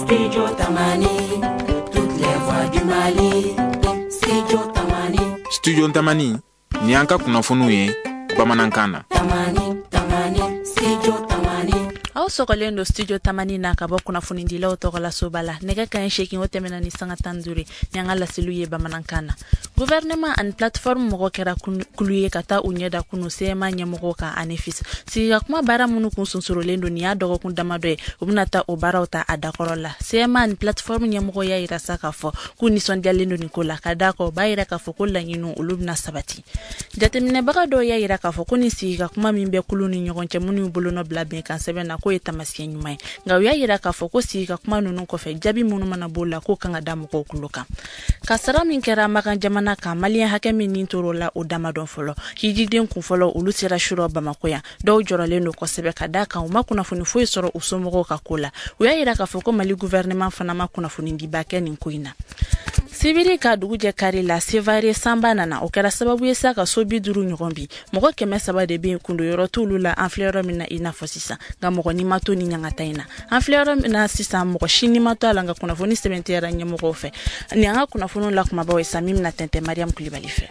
Studio Tamani, toutes les voix du Mali. Studio Tamani. Studio Tamani, ni an ka kunnafoniw ye bamanankan na. Tamani, Tamani, Studio Tamani. Aw sɔgɔlen don Studio Tamani na ka bɔ kunnafonidilaw tɔgɔla soba la. Nɛgɛ kanɲɛ 8, o tɛmɛna ni sanga 15 ye. Ni an ka laseliw ye bamanankan na, gouvernement ani plateforme mɔgɔ kɛra kulu ye ka taa u ɲɛda kunu CMA ɲɛmɔgɔw kan Anefis. Sigi ka kuma baara minnu kun sonsorolen don nin y'a dɔgɔkun damadɔ ye, u bɛna taa o baaraw ta a dakɔrɔ la. CMA ani plateforme ɲɛmɔgɔ y'a yira sa k'a fɔ k'u nisɔndiyalen don nin ko la, ka d'a kan o b'a yira k'a fɔ ko laɲiniw, olu bɛna sabati. Jateminɛbaga dɔw y'a yira k'a fɔ ko nin sigi ka kuma min bɛ kulu ni ɲɔgɔn cɛ minnu bolonɔ bila bɛnkan sɛbɛn na, k'o ye taamasiyɛn ɲuman ye. Nka u y'a yira k'a fɔ ko sigi ka kuma ninnu kɔfɛ, jaabi minnu mana b'o la, k'o kan ka da mɔgɔw kulo kan. Kasara min kɛra Makan jamana kan, Maliyɛn hakɛ min nin tor'o la, o dama dɔn fɔlɔ. Hijiden kun fɔlɔ, olu sera surɔ Bamako yan. Dɔw jɔrɔlen don kosɛbɛ, ka d'a kan u ma kunnafoni foyi sɔrɔ u somɔgɔw ka ko la. U y'a yira k'a fɔ ko Mali gouvernement fana ma kunnafoni diba kɛ nin ko in na. Sibiri ka dugu jɛ kari la, Sevare sanba nana, o kɛra sababu ye sa ka so 50 ɲɔgɔn bi. Mɔgɔ 300 de bɛ yen, kundo yɔrɔ t'olu la. An filɛ yɔrɔ min na i n'a fɔ sisan, nka mɔgɔ ni ma to ni ɲangata in na. An filɛ yɔrɔ min na sisan, mɔgɔ si ni ma to a la, nka kunnafoni sɛbɛntiyara ɲɛmɔgɔw fɛ. Ni an ka kunnafoniw la kumabaw ye sa, min bɛna tɛntɛn Mariam Kulibali fɛ.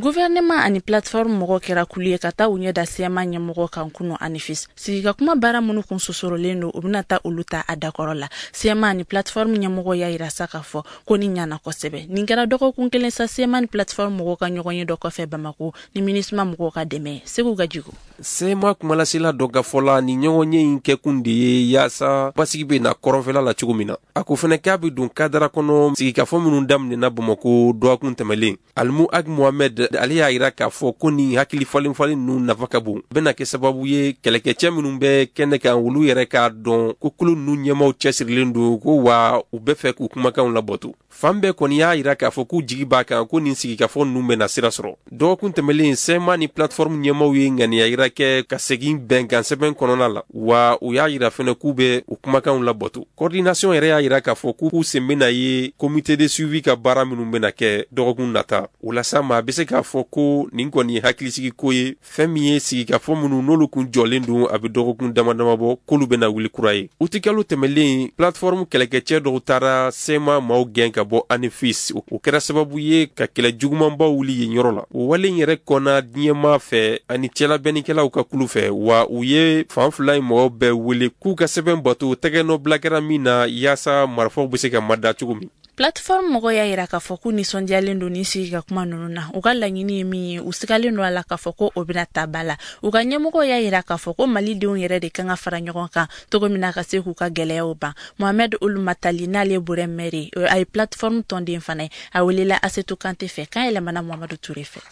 Gouvernement ani plateforme mɔgɔ kɛra kulu ye ka taa u ɲɛ da CMA ɲɛmɔgɔ kan kunu Anefis. Sigi ka kuma baara minnu kun sosorolen don, u bɛna taa olu ta a dakɔrɔ la. CMA ani plateforme ɲɛmɔgɔ y'a yira sa k'a fɔ ko ni ɲana kosɛbɛ. Nin kɛra dɔgɔkun kelen sa CMA ni plateforme mɔgɔw ka ɲɔgɔn ye dɔ kɔfɛ Bamako ni MINUSMA mɔgɔw ka dɛmɛ. Segu Gajigo. CMA kumalasela dɔ ka fɔ la, ni ɲɔgɔnye in kɛkun de ye yaasa basigi bɛ na kɔrɔnfɛla la cogo min na. A ko fɛnɛ k'a bɛ don kadara kɔnɔ sigikafɔ minnu daminɛna Bamako dɔgɔkun tɛmɛlen. Alimu Ag Mohamed, ale y'a yira k'a fɔ ko nin hakili falen falen ninnu nafa ka bon, bɛna kɛ sababu ye kɛlɛkɛcɛ minnu bɛ kɛnɛ kan, olu yɛrɛ k'a dɔn ko kulu ninnu ɲɛmaw cɛsirilen don, ko wa u bɛ fɛ k'u kumakanw labɔto. Fan bɛɛ kɔni y'a yira k'a fɔ k'u jigi b'a kan ko nin sigikafɔ ninnu bɛna sira sɔrɔ. Dɔgɔkun tɛmɛlen, CMA ni plateforme ɲɛmaw ye ŋaniya yira kɛ ka segin bɛnkan sɛbɛn kɔnɔna la, wa u y'a yira fɛnɛ k'u bɛ u kumakanw labɔto. Coordination yɛrɛ y'a yira k'a fɔ k'u sen bɛna ye comité de suivi ka baara minnu bɛna kɛ dɔgɔkun nata. O la sa, maa bɛ se k'a fɔ ko nin kɔni ye hakilisigi ko ye. Fɛn min ye sigikafɔ minnu n'olu kun jɔlen don a bɛ dɔgɔkun dama dama bɔ, k'olu bɛna wuli kura ye. Utikalo tɛmɛlen, plateforme kɛlɛkɛcɛ dɔw taara CMA maaw gɛn ka bɔ Anefis. O kɛra sababu ye ka kɛlɛ jugumanbaw wuli yen yɔrɔ la. O wale in yɛrɛ kɔnna diɲɛmaa fɛ ani cɛlabɛnnikɛlaw ka kulu fɛ, wa u ye fan fila in mɔgɔw bɛɛ wele k'u ka sɛbɛn bato tɛgɛnɔ bila kɛra min na, yaasa marifaw bɛ se ka mada cogo min. Plateforme mɔgɔw y'a yira k'a fɔ k'u nisɔndiyalen don ni sigi ka kuma ninnu na. U ka laɲini ye min ye, u sigalen don a la k'a fɔ ko o bɛna ta ba la. U ka ɲɛmɔgɔw y'a yira k'a fɔ ko Malidenw yɛrɛ de kan ka fara ɲɔgɔn kan cogo min na ka se k'u ka gɛlɛyaw ban. Mohamed Ould Matali, n'ale ye Burɛm maire ye, a ye plateforme tɔnden fana ye, a welela Asetu Kante fɛ, kan yɛlɛmana Muhamadu Ture fɛ.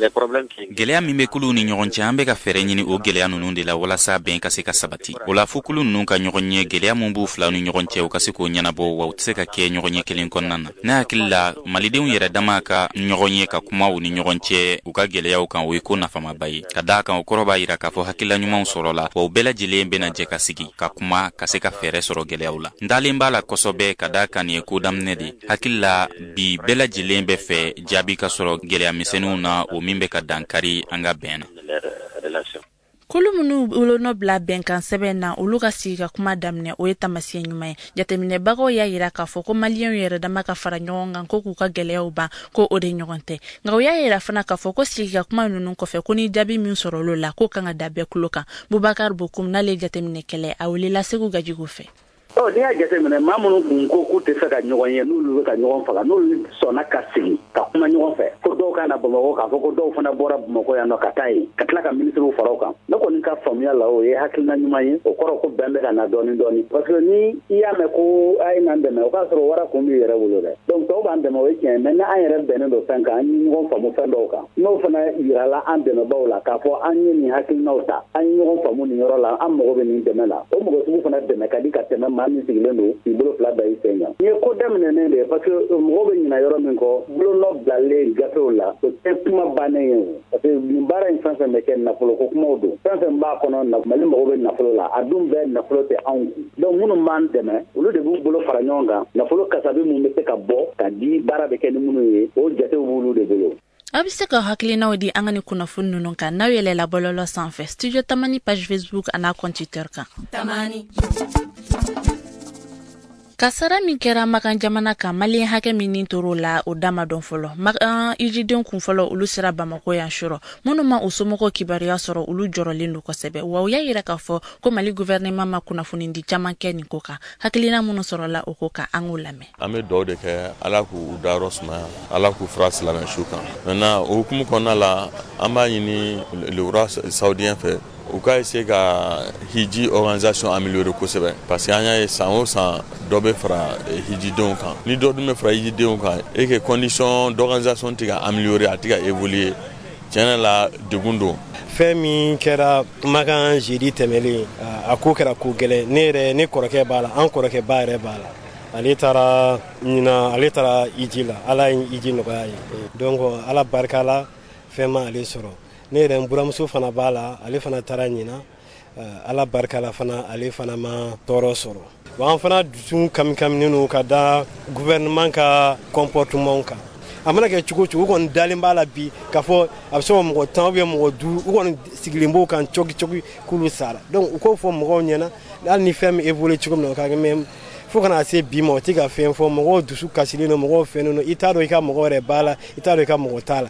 Gɛlɛya min bɛ kuluw ni ɲɔgɔn cɛ, an bɛ ka fɛɛrɛ ɲini o gɛlɛya ninnu de la walasa bɛn ka se ka sabati. O la, fo kulu ninnu ka ɲɔgɔn ye, gɛlɛya min b'u filaw ni ɲɔgɔn cɛ, u ka se k'o ɲɛnabɔ, wa u tɛ se ka kɛ ɲɔgɔn ye kelen kɔnɔna na. Ne hakili la, Malidenw yɛrɛ dama ka ɲɔgɔn ye ka kuma u ni ɲɔgɔn cɛ u ka gɛlɛyaw kan, o ye ko nafamaba ye, ka d'a kan o kɔrɔ b'a yira k'a fɔ hakilila ɲumanw sɔrɔla, wa u bɛɛ lajɛlen bɛna jɛ ka sigi ka kuma ka se ka fɛɛrɛ sɔrɔ gɛlɛyaw la. N dalen b'a la kosɛbɛ, ka d'a kan nin ye ko daminɛ de. Hakili la, bi bɛɛ lajɛlen bɛ fɛ jaabi ka sɔrɔ gɛlɛya misɛnninw na, o min bɛ ka dankari an ka bɛn na. Kulu minnu bolonɔ bila bɛnkan sɛbɛn na, olu ka sigi ka kuma daminɛ, o ye taamasiyɛn ɲuman ye. Jateminɛbagaw y'a yira k'a fɔ ko Maliyɛnw yɛrɛ dama ka fara ɲɔgɔn kan ko k'u ka gɛlɛyaw ban, ko o de ɲɔgɔn tɛ. Nka u y'a yira fana k'a fɔ ko sigi ka kuma ninnu kɔfɛ, ko ni jaabi min sɔrɔl'o la, k'o kan ka da bɛɛ kulo kan. Bubakar Bokum, n'ale ye jateminɛkɛla ye, a welela Segu Gajigo fɛ. Ɔ, n'i y'a jateminɛ, maa minnu kun ko k'u tɛ fɛ ka ɲɔgɔn ye, n'olu bɛ ka ɲɔgɔn faga, n'olu sɔnna ka sigi ka kuma ɲɔgɔn fɛ, ko dɔw ka na Bamakɔ, k'a fɔ ko dɔw fana bɔra Bamakɔ yan nɔ ka taa yen, ka tila ka minisiriw fara o kan, ne kɔni ka faamuya la, o ye hakilina ɲuman ye. O kɔrɔ ko bɛn bɛ ka na dɔɔni dɔɔni, parce que ni i y'a mɛn ko a ye n'an dɛmɛ, o k'a sɔrɔ wara kun b'i yɛrɛ bolo dɛ. Donc tɔw b'an dɛmɛ, o ye tiɲɛ ye, mais ni an yɛrɛ bɛnnen don fɛn kan, an ye ɲɔgɔn faamu fɛn dɔw kan, n'o fana yirala an dɛmɛbaw la k'a fɔ an ye nin hakilinaw ta, an ye ɲɔgɔn faamu nin yɔrɔ la, an mago bɛ nin dɛmɛ la, o mɔgɔ sugu fana dɛmɛ ka di ka tɛmɛ maa min sigilen don k'i bolo fila da i sen kan. Nin ye ko daminɛnen de ye, parce que mɔgɔw bɛ ɲinɛ yɔrɔ min kɔ, bolonɔ bilalen gafew la, o tɛ kuma bannen ye o, parce que nin baara in fɛn fɛn bɛ kɛ, nafolo ko kumaw don. Fɛn fɛn b'a kɔnɔ, Mali mago bɛ nafolo la, a dun bɛɛ nafolo tɛ anw kun. Donc minnu b'an dɛmɛ, olu de b'u bolo fara ɲɔgɔn kan, nafolo kasabi min bɛ se ka bɔ ka di, baara bɛ kɛ ni minnu ye, o jatew b'olu de bolo. Aw bɛ se ka hakilinaw di an ka ni kunnafoni ninnu kan n'aw yɛlɛla bɔlɔlɔ sanfɛ, Studio Tamani page Facebook an'a compte Twitter kan. Tamani. Kasara min kɛra Makan jamana kan, maliyɛn hakɛ min ni tor'o la, o da ma dɔn fɔlɔ. Makan ijiden kun fɔlɔ, olu sera Bamako yan surɔ. Minnu ma u somɔgɔw kibaruya sɔrɔ, olu jɔrɔlen don kosɛbɛ, wa u y'a yira k'a fɔ ko Mali gouvernement ma kunnafonidi caman kɛ nin ko kan. Hakilina minnu sɔrɔla o ko kan, an k'o lamɛn. An bɛ dugawu de kɛ, Ala k'u dayɔrɔ sumaya, Ala k'u fara silamɛ su kan. Maintenant, o hukumu kɔnɔna la, an b'a ɲini le roi saoudien fɛ, u ka essayer ka hiji organisation améliorer kosɛbɛ, parce que an y'a ye, san o san dɔ bɛ fara hijidenw kan. Ni dɔ dun bɛ fara hijidenw kan et que condition d'organisation tɛ ka améliorer, a tɛ ka évoluer, tiɲɛ la, degun don. Fɛn min kɛra Makan jeudi tɛmɛlen, a ko kɛra ko gɛlɛn. Ne yɛrɛ, ne kɔrɔkɛ b'a la, an kɔrɔkɛ ba yɛrɛ b'a la. Ale taara ɲina, ale taara iji la. Ala ye iji nɔgɔya ye, donc Ala barika la, fɛn ma ale sɔrɔ. Ne yɛrɛ, n buramuso fana b'a la, ale fana taara ɲina. Ala barika la fana, ale fana ma tɔɔrɔ sɔrɔ. Wa an fana dusu kamikaminen don ka da gouvernement ka comportement kan. A mana kɛ cogo cogo, u kɔni dalen b'a la bi k'a fɔ a bɛ se ka mɔgɔ 10 ou bien mɔgɔ 5, u kɔni sigilen b'o kan cogi cogi k'olu sara. Donc u k'o fɔ mɔgɔw ɲɛna, hali ni fɛn min évolué cogo min na, o ka kɛ. Mais fo kana se bi ma, o tɛ ka fɛn fɔ. Mɔgɔw dusu kasilen don, mɔgɔw fɛnnen don. I t'a dɔn i ka mɔgɔ yɛrɛ b'a la, i t'a dɔn i ka mɔgɔ t'a la.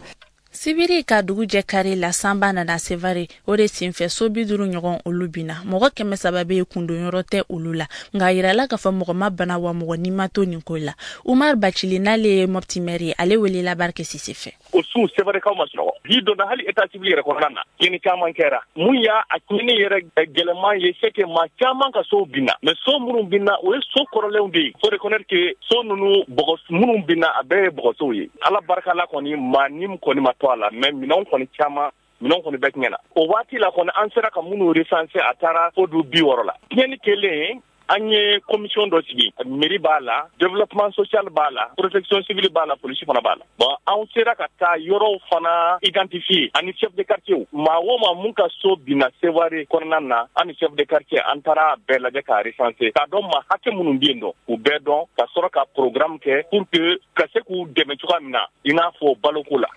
Sibiri ka dugu jɛ kari la, sanba nana Sevare. O de senfɛ, so 50 ɲɔgɔn, olu binna. Mɔgɔ 300 bɛ yen, kundonyɔrɔ tɛ olu la. Nka a yirala k'a fɔ mɔgɔ ma bana, wa mɔgɔ ni ma to nin ko la. Umar Bacili, n'ale ye Mɔpti maire ye, ale welela Barike Sise fɛ. O su, Sevarekaw ma sunɔgɔ. Bi donna hali état civil yɛrɛ kɔnɔna na, tiɲɛni caman kɛra. Mun y'a a tiɲɛni yɛrɛ gɛlɛman ye, c'est que maa caman ka sow binna. Mais so minnu binna, o ye so kɔrɔlenw de ye. Faut reconnaître que so ninnu, bɔgɔ minnu binna, a bɛɛ ye bɔgɔsow ye. Ala barika la kɔni, maa ni kɔni ma to a la, mais minɛnw kɔni caman, minɛnw kɔni bɛɛ tiɲɛna. O waati la kɔni, an sera ka minnu recenser, a taara fo du 60 la. Tiɲɛni kɛlen, an ye commission dɔ sigi. Mairie b'a la, développement social b'a la, protection civile b'a la, police fana b'a la. Bon, an sera ka taa yɔrɔw fana identifier ani chef de quartier. Maa o maa mun ka so binna Sevare kɔnɔna na, an ni chef de quartier, an taara bɛɛ lajɛ k'a recenser, k'a dɔn maa hakɛ minnu bɛ yen nɔ, k'u bɛɛ dɔn, ka sɔrɔ ka programme kɛ pour que ka se k'u dɛmɛ cogoya min na, i n'a fɔ baloko la.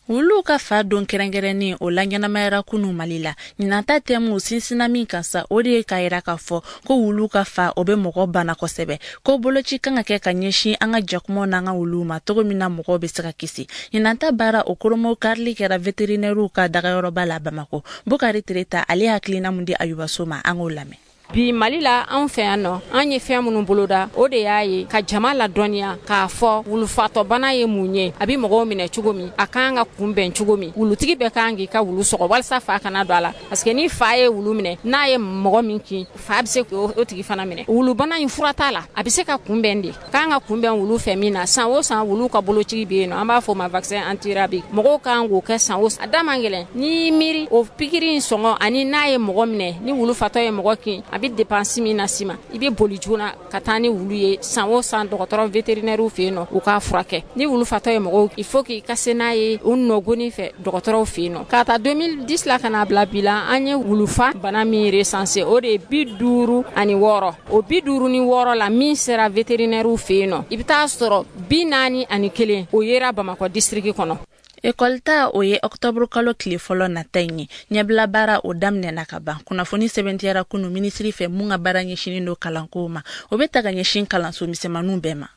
Wuluw ka fa don kɛrɛnkɛrɛnnen, o la ɲɛnamayara kunu Mali la. Ɲinanta thème sinsinna min kan sa, o de ye k'a yira k'a fɔ ko wulu ka fa, o bɛ mɔgɔ bana kosɛbɛ, ko boloci kan ka kɛ ka ɲɛsin an ka jakumaw n'an ka wuluw ma, cogo min na mɔgɔw bɛ se ka kisi. Ɲinanta baara o koromo karili kɛra véterinairew ka dagayɔrɔba la Bamako. Bukari Tereta, ale hakilina mun di Ayubaso ma, an k'o lamɛn. Bi Mali la, anw fɛ yan nɔ, an ye fɛn minnu boloda, o de y'a ye ka jama ladɔnniya k'a fɔ wulufatɔbana ye mun ye, a bɛ mɔgɔw minɛ cogo min, a kan ka kunbɛn cogo min, wulutigi bɛɛ kan k'i ka wulu sɔgɔ walasa fa kana don a la, parce que ni fa ye wulu minɛ, n'a ye mɔgɔ min kin, fa bɛ se k'o tigi fana minɛ. Wulubana in, fura t'a la, a bɛ se ka kunbɛn de. Kan ka kunbɛn wulu fɛ min na, san o san wulu ka boloci bɛ yen nɔ, an b'a fɔ o ma vaccin antirabique. Mɔgɔw kan k'o kɛ san o san. A da man gɛlɛn n'i miiri o pikiri in sɔngɔ, ani n'a ye mɔgɔ minɛ, ni wulu fatɔ ye mɔgɔ kin, a bɛ dépense min las'i ma, i bɛ boli joona ka taa ni wulu ye san o san dɔgɔtɔrɔ vétérinaire fɛ yen nɔ, u k'a furakɛ. Ni wulu fatɔ ye mɔgɔw, il faut k'i ka se n'a ye u nɔgɔnin fɛ dɔgɔtɔrɔw fɛ yen nɔ. K'a ta 2010 la ka n'a bila bi la, an ye wulufa bana min recensé, o de ye 56. O 56 la, min sera vétérinaire fɛ yen nɔ, i bɛ taa sɔrɔ 41, o yera Bamakɔ district kɔnɔ. Ekɔli ta, o ye ɔktɔburu kalo tile fɔlɔ nata in ye. Ɲɛbila baara, o daminɛna ka ban. Kunnafoni sɛbɛntiyara kunu minisiri fɛ mun ka baara ɲɛsinin don kalankow ma. O bɛ ta ka ɲɛsin kalanso misɛnmaninw bɛɛ ma.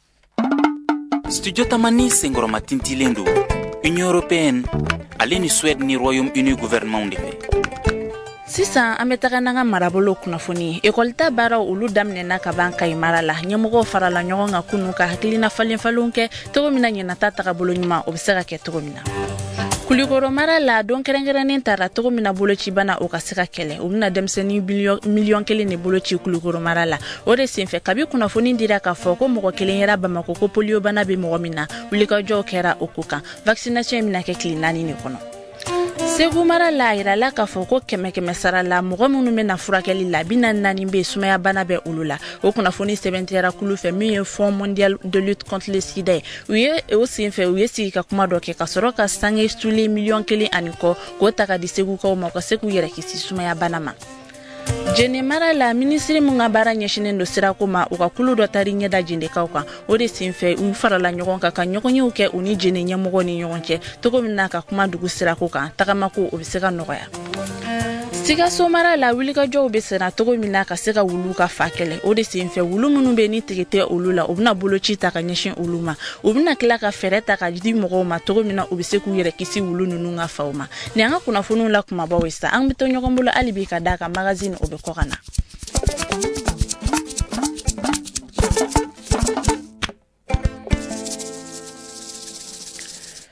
Studio Tamani senkɔrɔma tintilen don Union européenne ale ni Suède ni Royaume Uni gouvernement de fɛ. Sisan, an bɛ taga n'an ka marabolo kunnafoni ye. Ekɔlita baaraw, olu daminɛna ka ban Kayi mara la. Ɲɛmɔgɔw farala ɲɔgɔn kan kunu ka hakilina falen falenw kɛ, cogo min na ɲinata tagabolo ɲuman, o bɛ se ka kɛ cogo min na. Kulikoro mara la, don kɛrɛnkɛrɛnnen tara cogo min na bolocibana, o ka se ka kɛlɛ. U bɛna denmisɛnnin 1 miliyɔn de boloci Kulikoro mara la. O de senfɛ, kabi kunnafoni dira k'a fɔ ko mɔgɔ kelen yɛrɛ Bamako ko poliyobana bɛ mɔgɔ min na, wulikajɔw kɛra o ko kan. Vaccination in bɛna kɛ tile 4 de kɔnɔ. Segu mara la, a yirala k'a fɔ ko kɛmɛ kɛmɛ sara la, mɔgɔ minnu bɛna furakɛli la, 44 bɛ sumayabana bɛ olu la. O kunnafoni sɛbɛntiyara kulu fɛ min ye Fonds mondial de lutte contre le sida ye. U ye o senfɛ, u ye sigi ka kuma dɔ kɛ ka sɔrɔ ka sange sulen 1,5 miliyɔn k'o ta ka di Segukaw ma, u ka se k'u yɛrɛ kisi sumayabana ma. Jene mara la, minisiri min ka baara ɲɛsinen don sirako ma, u ka kulu dɔ taari ɲɛda Jendekaw kan. O de senfɛ, u farala ɲɔgɔn kan ka ɲɔgɔnyew kɛ u ni Jene ɲɛmɔgɔ ni ɲɔgɔn cɛ, cogo min na ka kuma dugu sirako kan, tagamako o bɛ se ka nɔgɔya. Sikaso mara la, wulikajɔw bɛ senna cogo min na ka se ka wulu ka fa kɛlɛ. O de senfɛ, wulu minnu bɛ ni tigi tɛ olu la, u bɛna boloci ta ka ɲɛsin olu ma. U bɛna tila ka fɛɛrɛ ta ka di mɔgɔw ma cogo min na u bɛ se k'u yɛrɛ kisi wulu ninnu ka faw ma. Nin an ka kunnafoniw la kumabaw ye sa. An bɛ to ɲɔgɔn bolo hali bi, ka d'a kan magazine o bɛ kɔ ka na.